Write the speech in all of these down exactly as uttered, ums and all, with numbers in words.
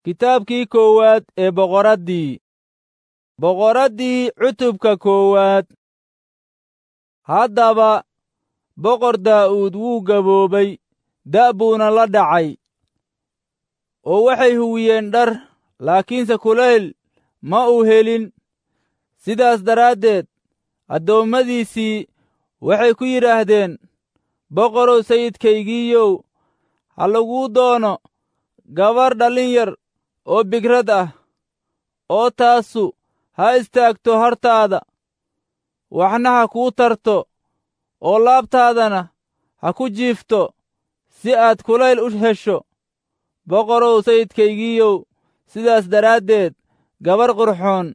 Kitaabkii koowaad ee Boqoraddii. Boqoraddii cutubka koowaad. Haddaba Boqor Daa'uud wuu gaboobay, da' buuna la dhacay, oo waxay huwiyeen dhar, laakiinse kulayl ma uu helin. Sidaas daraaddeed addoommadiisii waxay ku yidhaahdeen, Boqorow sayidkaygiiyow, ha laguu doono gabar dhallin yar oo bigrad ah, oo taasu ha istaagto hortaada, waxna ha kuu tarto, oo laabtaadana ha ku jiifto, si aad kulayl u hesho. Boqorow sayidkaygiiyow, sidaas daraaddeed gabar qurxoon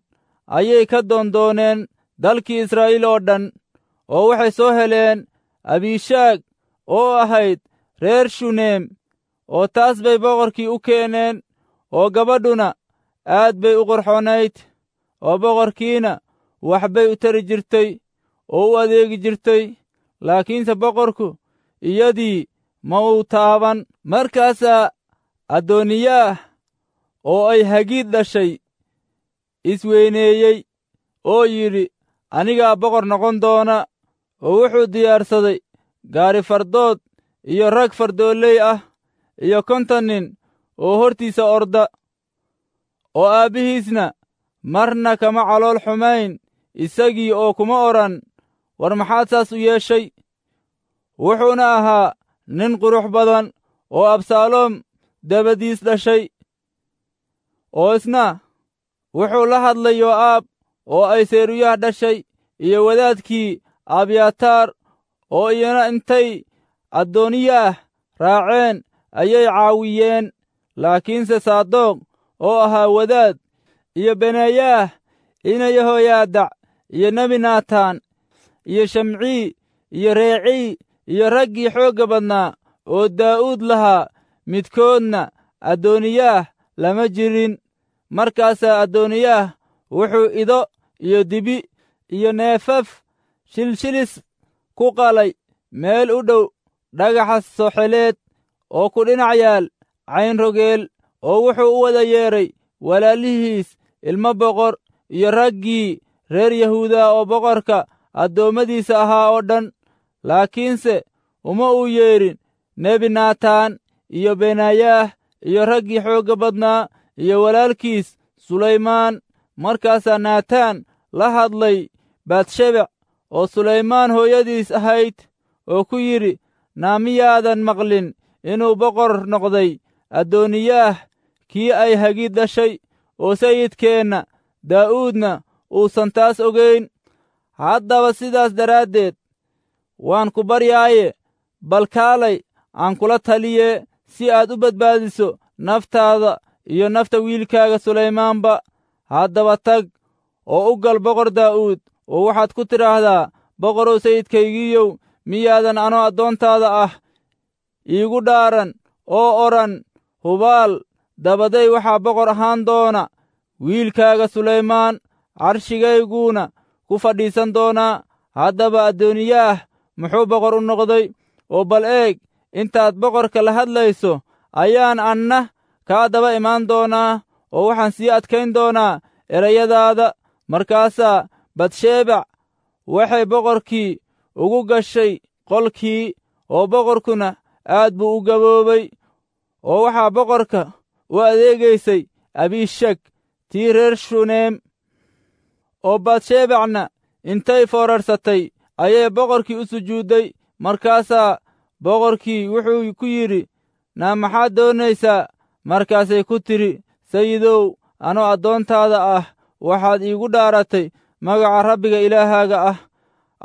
ayay ka doondooneen dalkii Israa'iil oo dhan, oo waxay soo heleen Abishaag oo ahayd reer Shuneem, oo taas bay boqorkii u keeneen, oo gabadhuna aad bay u qurxoonayd, oo boqorkiina wax bay u tari jirtay oo u adeegi jirtay, laakiinse boqorku iyadii ma uu taaban. Markaasaa Adooniyaah oo ay Hagiid dhashay isweyneeyey oo yidhi, Anigaa boqor noqon doona, oo wuxuu diyaarsaday gaari fardood iyo rag fardooley ah iyo konton nin oo hortiisa orda, oo aabbihiisna marna kama calool xumayn isagii oo kuma odhan, war maxaad saas u yeeshay? Wuxuuna ahaa nin qurux badan oo Absaaloom dabadiis dhashay, oo isna wuxuu la hadlay Yoo'aab oo ay Seruyaah dhashay iyo wadaadkii Abyataar, oo iyana intay Adooniyaah raaceen ayay caawiyeen. Laakiinse Saadoq oo ahaa wadaad, iyo Benayaah ina Yehoyaadac, iyo nebi Naataan, iyo Shamcii, iyo Reecii, iyo raggii xoogga badnaa oo Daa'uud lahaa, midkoodna Adooniyaah lama jirin. Markaasaa Adooniyaah wuxuu ido iyo dibi iyo neefaf shilshilis ku qalay meel u dhow dhagaxa soxeleed oo ku dhinac yaal Cayn Rogeel, oo wuxuu u wada yeedhay walaalihiis ilmo boqor iyo raggii reer Yahuuda oo boqorka addoommadiisa ahaa oo dhan. Laakiinse uma uu yeedhin nebi Naataan iyo Benayaah iyo raggii xoogga badnaa iyo walaalkiis Sulaymaan. Markaasaa Naataan la hadlay Batshebec oo Sulaymaan hooyadiis ahayd, oo ku yidhi, naa miyaadan maqlin inuu boqor noqday Adooniyaah kii ay Hagiid dhashay, oo sayidkeenna Daa'uudna uusan taas ogayn? Haddaba sidaas daraaddeed waan ku baryaaye, bal kaalay aan kula taliyee, si aad u badbaadiso naftaada iyo nafta wiilkaaga Sulaymaanba. Haddaba tag oo u gal Boqor Daa'uud, oo waxaad ku tidhaahdaa, Boqorow sayidkaygiiyow, miyaadan anoo addoontaada ah iigu dhaaran oo odhan, hubaal dabaday waxaa boqor ahaan doona wiilkaaga Sulaymaan, carshigayguna ku fadhiisan doonaa. Haddaba Adooniyaah muxuu boqor u noqday? Oo bal eeg, intaad boqorka la hadlayso ayaan anna kaa daba imaan doonaa, oo waxaan sii adkayn doonaa erayadaada. Markaasaa Batshebac waxay boqorkii ugu gashay qolkii, oo boqorkuna aad buu u gaboobay, oo waxaa boqorka u adeegaysay Abishag tii reer Shuneem. Oo Batshebacna intay foorarsatay ayay boqorkii u sujuudday. Markaasaa boqorkii wuxuu ku yidhi, naa maxaad doonaysaa? Markaasay ku tidhi, Sayidow, anoo addoontaada ah waxaad iigu dhaaratay magaca Rabbiga Ilaahaaga ah,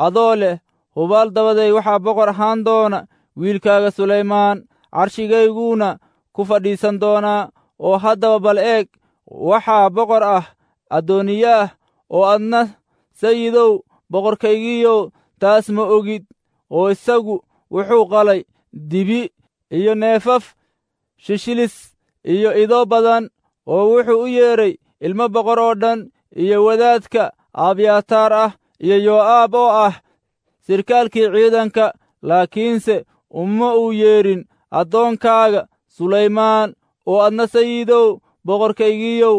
adoo leh, hubaal dabaday waxaa boqor ahaan doona wiilkaaga Sulaymaan, carshigayguna ku fadhiisan doonaa. Oo haddaba bal eeg, waxaa boqor ah Adooniyaah, oo adna sayidow boqorkaygiiyow taas ma ogid. Oo isagu wuxuu qalay dibi iyo neefaf shishilis iyo ido badan, oo wuxuu u yeedhay ilmo boqor oo dhan iyo wadaadka Abyataar ah iyo Yoo'aab oo ah sirkaalkii ciidanka, laakiinse uma uu yeedhin addoonkaaga Sulaymaan. Oo adna sayidow boqorkaygiiyow,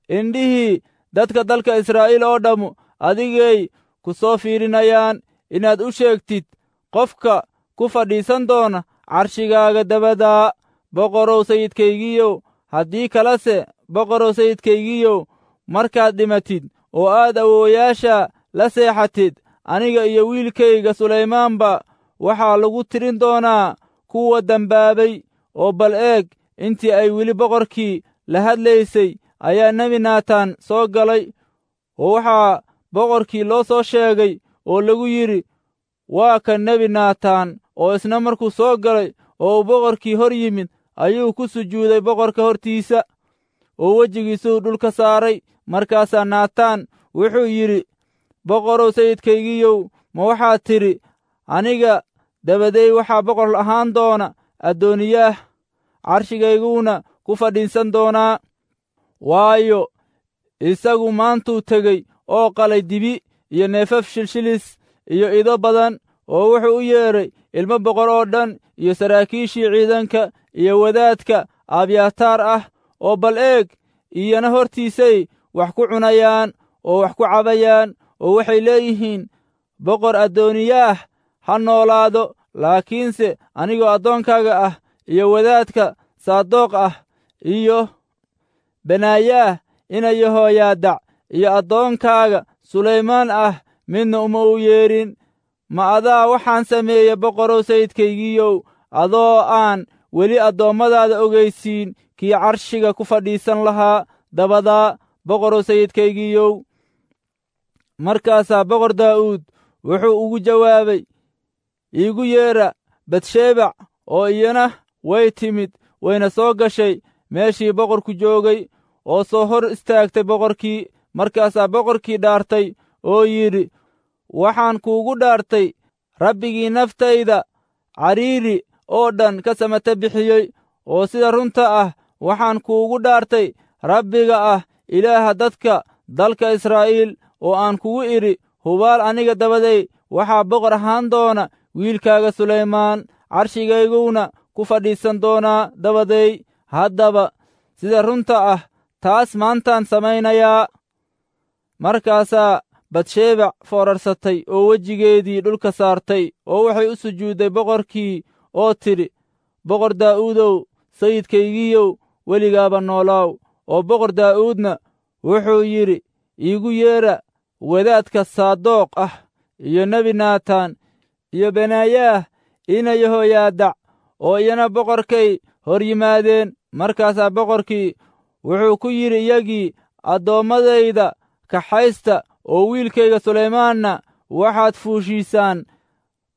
indhihii dadka dalka Israa'iil oo dhammu adigay ku soo fiirinayaan inaad u sheegtid qofka ku fadhiisan doona carshigaaga dabadaa. Boqorow sayidkaygiiyow, haddii kalese boqorow sayidkaygiiyow, markaad dhimatid oo aad awoowayaasha la seexatid, aniga iyo wiilkayga Sulaymaanba waxaa lagu tirin doonaa kuwa dembaabay. Oo bal eeg, intii ay weli boqorkii la hadlaysay ayaa nebi Naataan soo galay, oo waxaa boqorkii loo soo sheegay oo lagu yidhi, waa kan nebi Naataan. Oo isna markuu soo galay oo uu boqorkii hor yimid, ayuu ku sujuuday boqorka hortiisa, oo wejigiisuu dhulka saaray. Markaasaa Naataan wuxuu yidhi, boqorow sayidkaygiiyow, ma waxaad tidhi, aniga dabaday waxaa boqor ahaan doona Addooniyaah, carshigayguna ku fadhiisan doonaa? Waayo, isagu maantuu tegey oo qalay dibi iyo neefaf shilshilis iyo ido badan, oo wuxuu u yeedhay ilmo boqor oo dhan iyo saraakiishii ciidanka iyo wadaadka Abyataar ah. Oo bal eeg, iyana hortiisay wax ku cunayaan oo wax ku cabayaan, oo waxay leeyihiin, boqor Addooniyaah ha noolaado. Laakiinse anigoo addoonkaaga ah iyo wadaadka Saadoq ah iyo Benaayaah ina Yehoyaadac iyo addoonkaaga Sulaymaan ah midna uma u yeedhin. Ma adaa waxaan sameeyey, boqorow sayidkaygiiyow, adoo aan weli addoommadaada ogeysiin kii carshiga ku fadhiisan lahaa dabadaa, boqorow sayidkaygiiyow? Markaasaa boqor Daa'uud wuxuu ugu jawaabay, iigu yeedha Batshebac. Oo iyana way timid, wayna soo gashay meeshii boqorku joogay, oo soo hor istaagtay boqorkii. Markaasaa boqorkii dhaartay oo yidhi, waxaan kuugu dhaartay Rabbigii naftayda cariiri oo dhan ka samata bixiyey, oo sida runta ah waxaan kuugu dhaartay Rabbiga ah Ilaaha dadka dalka Israa'iil, oo aan kugu idhi, hubaal aniga dabaday waxaa boqor ahaan doona wiilkaaga Sulaymaan, carshigayguna ku fadhiisan doonaa dabaday. Haddaba sida runta ah taas maantaan samaynayaa. Markaasaa Batshebac foorarsatay oo wejigeedii dhulka saartay, oo waxay u sujuudday boqorkii oo tidhi, boqor Daa'uudow, sayidkaygiiyow, weligaaba noolaaw. Oo boqor Daa'uudna wuxuu yidhi, iigu yeedha wadaadka Saadoq ah iyo nebi Naataan iyo Benaayaah ina Yehoyaadac. Oo iyana boqorkay hor yimaadeen. Markaasaa boqorkii wuxuu ku yidhi iyagii, addoommadayda kaxaysta, oo wiilkayga Sulaymaanna waxaad fuushiisaan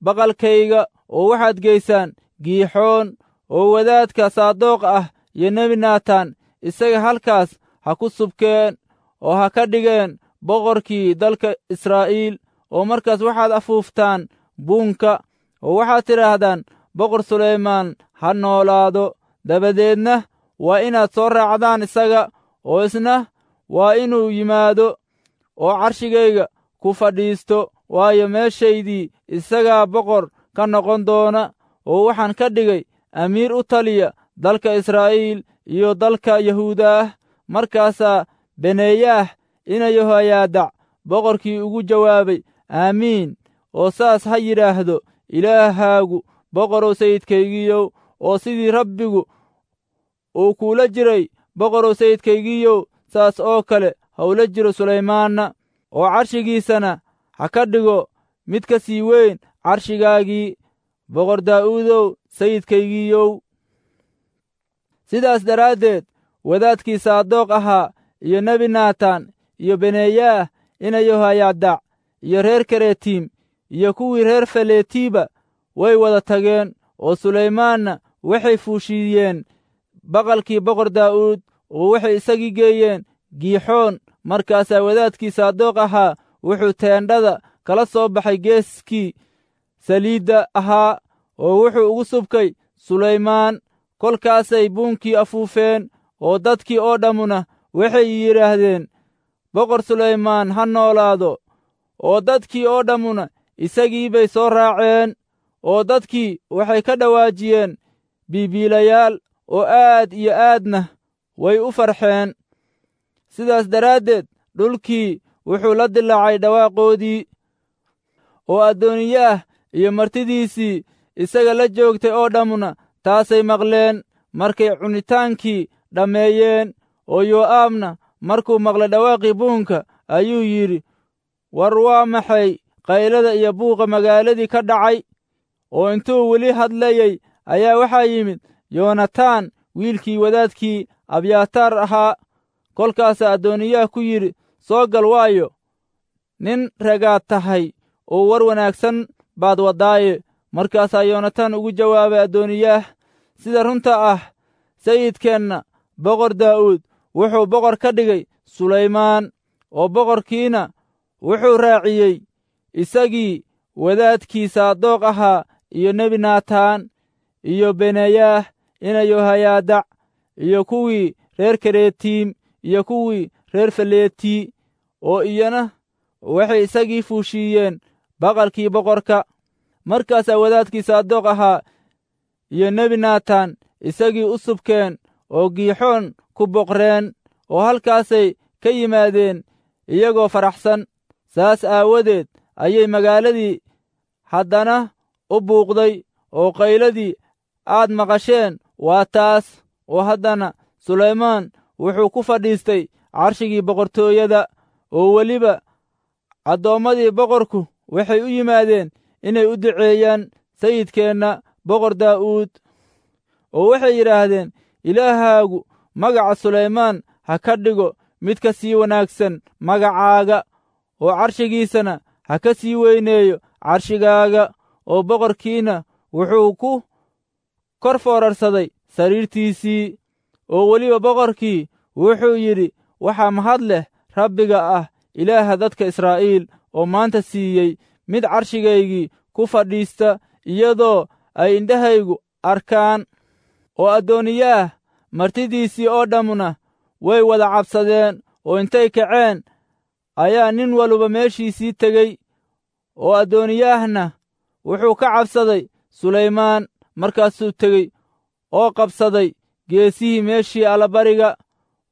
baqalkayga, oo waxaad geysaan Giixoon, oo wadaadka Saadoq ah iyo nebi Naataan isaga halkaas ha ku subkeen oo ha ka dhigeen boqorkii dalka Israa'iil. Oo markaas waxaad afuuftaan buunka, oo waxaad tidhaahdaan, boqor Sulaymaan ha noolaado. Dabadeedna waa inaad soo raacdaan isaga, oo isna waa inuu yimaado oo carshigayga ku fadhiisto, waayo, meeshaydii isagaa boqor ka noqon doona, oo waxaan ka dhigay amiir u taliya dalka Israa'iil iyo dalka Yahuudaah. Markaasaa Beneeyaah ina Yehoyaadac boqorkii ugu jawaabay, aamiin, oo saas ha yidhaahdo Ilaahaagu boqorow sayidkaygiiyow, oo sidii Rabbigu uu kuula jiray boqorow sayidkaygiiyow, saas oo kale ha ula jiro Sulaymaanna, oo carshigiisana ha ka dhigo mid ka sii weyn carshigaagii, boqor Daa'uudow sayidkaygiiyow. Sidaas daraaddeed wadaadkii Saadoq ahaa iyo nebi Naataan iyo Beneeyaah ina Yehoyaadac iyo reer Keretiim iyo kuwii reer Feletiiba way wada tageen, oo Sulaymaanna waxay fuushiyeen baqalkii boqor Daa'uud, oo waxay isagii geeyeen Giixoon. Markaasaa wadaadkii Saadoq ahaa wuxuu teendhada kala soo baxay geeskii saliidda ahaa, oo wuxuu ugu subkay Sulaymaan. Kolkaasay buunkii afuufeen, oo dadkii oo dhammuna waxay yidhaahdeen, boqor Sulaymaan ha noolaado. Oo dadkii oo dhammuna isagii bay soo raaceen, oo dadkii waxay ka dhawaajiyeen biibiilayaal, oo aad iyo aadna way u farxeen. Sidaas daraaddeed dhulkii wuxuu la dilaacay dhawaaqoodii, oo Adooniyaah iyo martidiisii isaga la joogtay oo dhammuna taasay maqleen markay cunitaankii dhammeeyeen. Oo Yoo'aabna markuu maqlay dhawaaqii buunka ayuu yidhi, war waa maxay qaylada iyo buuqa magaaladii ka dhacay? Oo intuu weli hadlayey ayaa waxaa yimid Yoonataan wiilkii wadaadkii Abyataar ahaa. Kolkaasaa Adooniyaah ku yidhi, soo gal, waayo nin ragaad tahay oo war wanaagsan baad waddaaye. Markaasaa Yoonataan ugu jawaabay Adooniyaah, sida runta ah sayidkeenna boqor Daa'uud wuxuu boqor ka dhigay Sulaymaan, oo boqorkiina wuxuu raaciyey isagii wadaadkii Saadoq ahaa iyo nebi Naataan iyo Benayaah ina Yohayaadac iyo kuwii reer Keretiim iyo kuwii reer Faletii, oo iyana waxay isagii fuushiiyeen baqalkii boqorka. Markaasaa wadaadkii Saadoq ahaa iyo nebi Naataan isagii u subkeen oo Giixoon ku boqreen, oo halkaasay ka yimaadeen iyagoo faraxsan. Saas aawadeed ayay magaaladii haddana u buuqday, oo qayladii aad maqasheen waa taas. Oo haddana Sulaymaan wuxuu ku fadhiistay carshigii boqortooyada, oo weliba addoommadii boqorku waxay u yimaadeen inay u duceeyaan sayidkeenna boqor Daa'uud, oo waxay yidhaahdeen, Ilaahaagu magaca Sulaymaan ha ka dhigo mid ka sii wanaagsan magacaaga, oo carshigiisana ha ka sii weyneeyo carshigaaga. Oo boqorkiina wuxuu ku kor foorarsaday sariirtiisii. Oo weliba boqorkii wuxuu yidhi, waxaa mahad leh Rabbiga ah Ilaaha dadka Israa'iil, oo maanta siiyey mid carshigaygii ku fadhiista iyadoo ay indhahaygu arkaan. Oo Adooniyaah martidiisii oo dhammuna way wada cabsadeen, oo intay kaceen ayaa nin waluba meeshiisii tegey. Oo Adooniyaahna wuxuu ka cabsaday Sulaymaan, markaasuu tegey oo qabsaday geesihii meeshii allabariga.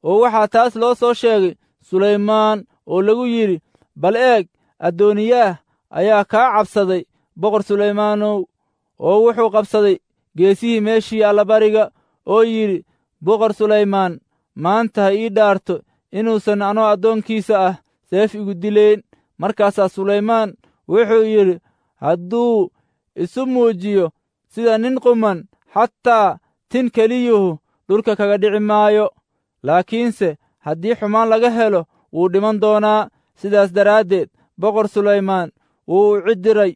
Oo waxaa taas loo soo sheegay Sulaymaan oo lagu yidhi, bal eeg, Adooniyaah ayaa kaa cabsaday boqor Sulaymaanow, oo wuxuu qabsaday geesihii meeshii allabariga, oo yidhi, boqor Sulaymaan maanta ha ii dhaarto inuusan anoo addoonkiisa ah seef igu dilayn. Markaasaa Sulaymaan wuxuu yidhi, hadduu isu muujiyo sida nin quman, xataa tin keliyuhu dhulka kaga dhici maayo, laakiinse haddii xumaan laga helo wuu dhiman doonaa. Sidaas daraaddeed boqor Sulaymaan wuu u cidiray,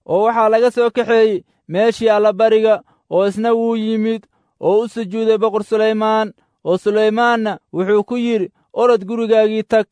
oo waxaa laga soo kaxeeyey meeshii allabariga, oo isna wuu yimid oo u sujuuday boqor Sulaymaan. Oo Sulaymaanna wuxuu ku yidhi, orod gurigaagii tag.